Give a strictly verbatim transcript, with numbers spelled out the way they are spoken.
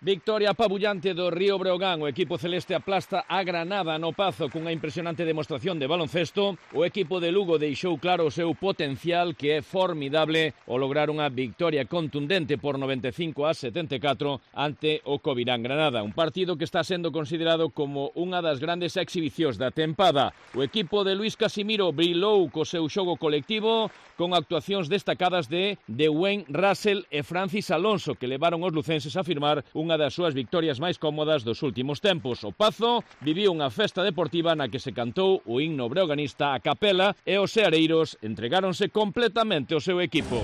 Victoria apabullante do Río Breogán. O equipo celeste aplasta a Granada no Pazo cunha impresionante demostración de baloncesto. O equipo de Lugo deixou claro o seu potencial, que é formidable ao lograr unha victoria contundente por noventa e cinco a setenta e catro ante o Covirán Granada. Un partido que está sendo considerado como unha das grandes exhibicións da tempada. O equipo de Luís Casimiro brilou co seu xogo colectivo con actuacións destacadas de Dwayne Russell e Francis Alonso, que levaron os lucenses a firmar unha das súas victorias máis cómodas dos últimos tempos. O Pazo viviu unha festa deportiva na que se cantou o himno breoganista a capela e os seareiros entregáronse completamente ao seu equipo.